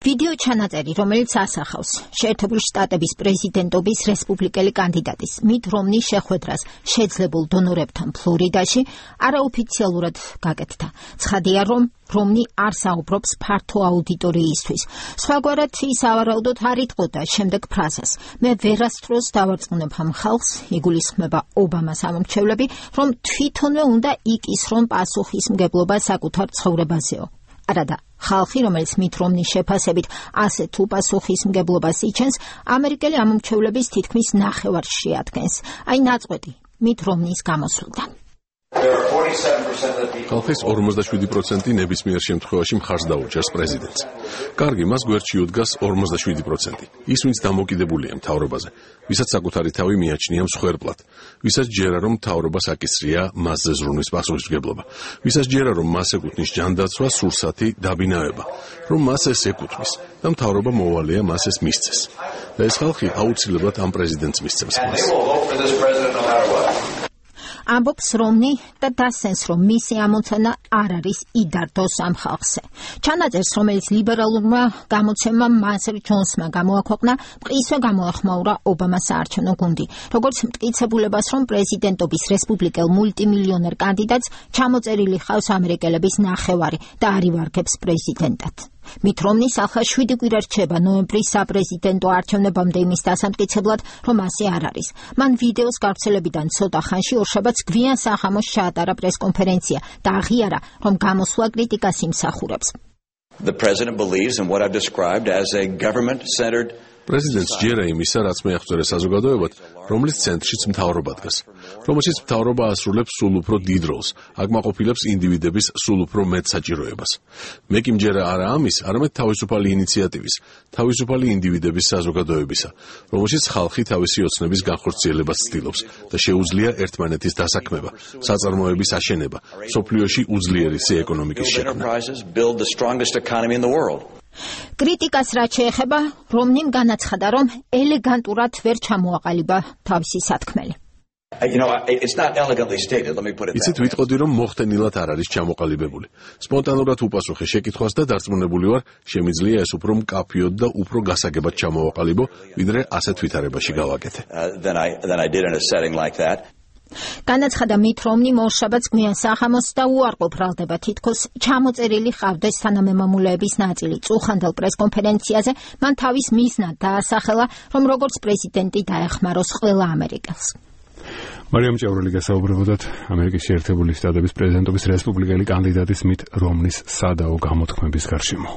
ვიდეო ჩანაწერი, რომელიც ასახავს შეერთებული შტატების პრეზიდენტობის რესპუბლიკელი კანდიდატის მიტ რომნის შეხვედრას შეძლებულ დონორებთან ფლორიდაში, არაოფიციალურად გაკეთდა. ცხადია, რომ რომნი არ საუბრობს ფართო აუდიტორიისთვის. სხვაგვარად ის ავარაუდოდ არ იტყოდა შემდეგ ფრაზას. მე ვერასდროს დავარწმუნებ ამ ხალხს, იგულისხმება ობამას ამომრჩევლები, რომ თვითონვე უნდა იკისრონ პასუხისმგებლობა საკუთარ ცხოვრებაზეო. არადა, ხალხი, რომელიც მიტ რომნის შეფასებით ასეთ უპასუხისმგებლობას იჩენს, ამერიკელი ამომრჩევლების თითქმის ნახევარს შეადგენს. აი ნაწყვეტი მიტ რომნის გამოსვლიდან. ხალხის 47% ნებისმიერ შემთხვევაში მხარს დაუჭერს პრეზიდენტს. კარგი, მას გვერდში უდგას 47%. ის, ვინც დამოკიდებულია მთავრობაზე, ვისაც საკუთარი თავი მიაჩნია მსხვერპლად, ვისაც ჯერა რომ მთავრობას აკისრია მასზე ზრუნვის პასუხისმგებლობა, ვისაც ჯერა რომ მას ეკუთვნის ჯანდაცვა, სურსათი, დაბინავება, რომ მას ეს ეკუთვნის და მთავრობა მოვალეა მას ეს მისცეს. და ეს ხალხი აუცილებლად ამ პრეზიდენტს მისცემს ხმას. ამბობს რომნი და დასცენს, რომ მისი ამოცანა არ არის იდარდოს ამ ხალხზე. ჩანაწერს, რომელიც ლიბერალურმა გამოცემამ მასერ ჯონსმა გამოაქვეყნა, მყისვე გამოეხმაურა ობამას საარჩევნო გუნდი, როგორც მტკიცებულებას, რომ პრეზიდენტობის რესპუბლიკელ მულტიმილიონერ კანდიდატს ჩამოწერილი ხავს ამერიკელების ნახევარი და არ ივარგებს პრეზიდენტად. მიტ რომნის ახლა 7 კვირა რჩება ნოემბრის საპრეზიდენტო არჩევნებამდე იმის დასამტკიცებლად, რომ ასე არ არის. მან ვიდეოს გავრცელებიდან ცოტა ხანში ორშაბათს გვიან სახამოს ჩაატარა პრესკონფერენცია და აღიარა, რომ გამოსვლა კრიტიკას იმსახურებს. პრეზიდენტს ჯერა იმისა, რაც მეახსოვდა საზოგადოებად, რომლის ცენტრშიც მთავრობა დგას, რომელშიც მთავრობა ასრულებს სულ უფრო დიდ როლს, აკმაყოფილებს ინდივიდების სულ უფრო მეტ საჭიროებას. მე კი მჯერა არა ამის, არამედ თავისუფალი ინიციატივის, თავისუფალი ინდივიდების საზოგადოებისა, რომელშიც ხალხი თავისი ოცნების განხორციელებას ცდილობს და შეუძლია ერთმანეთის დასაქმება, საწარმოების აშენება, მსოფლიოში უძლიერესი ეკონომიკის შექმნა. კრიტიკას რაც შეეხება, რომნიმ განაცხადა, რომ ელეგანტურად ვერ ჩამოაყალიბა თავისი სათქმელი. იცით, ვიტყოდი, რომ მოხდენილად არ არის ჩამოყალიბებული. სპონტანურად უპასუხე შეკითხვას და დარწმუნებული ვარ, შემიძლია ეს უფრო მკაფიოდ და უფრო გასაგებად ჩამოვაყალიბო, ვიდრე ასეთ ვითარებაში გავაკეთე. განაცხადა მიტ რომნიმ ორშაბათს გვიან სახამოს და უარყოფ ბრალდება თითქოს ჩამოწერილი ჰყავდეს თანამემამულეების ნაწილი. წუხანდელ პრესკონფერენციაზე მან თავის მიზნად დაასახელა, რომ როგორც პრეზიდენტი დაეხმაროს ყველა ამერიკელს. მარიამ ჭაურელი გასაუბრებოდათ ამერიკის შეერთებული შტატების პრეზიდენტობის რესპუბლიკელი კანდიდატის მიტ რომნის სადაო გამოთქმების გარშემო.